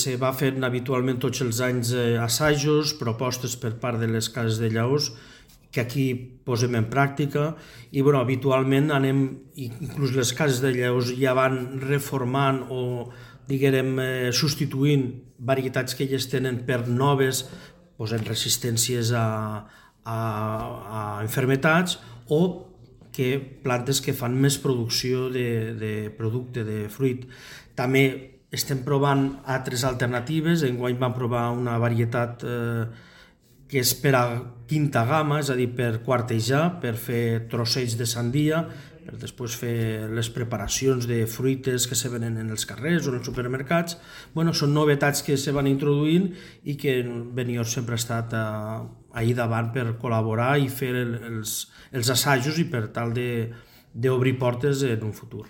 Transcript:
Se va fent habitualment tots els anys assajos, propostes per part de les cases de llaors, que aquí posem en pràctica i habitualment anem, inclús les cases de llaors ja van reformant o substituint varietats que elles tenen per noves, posant resistències a malalties o que plantes que fan més producció de producte, de fruit. També estem provant altres alternatives. Enguany vam provar una varietat que és per a quinta gamma, és a dir, per quartejar, per fer trossells de sandia, per després fer les preparacions de fruites que se venen en els carrers o en els supermercats. Són novetats que se van introduint i que Benioff sempre ha estat ahir davant per col·laborar i fer els assajos i per tal d'obrir portes en un futur.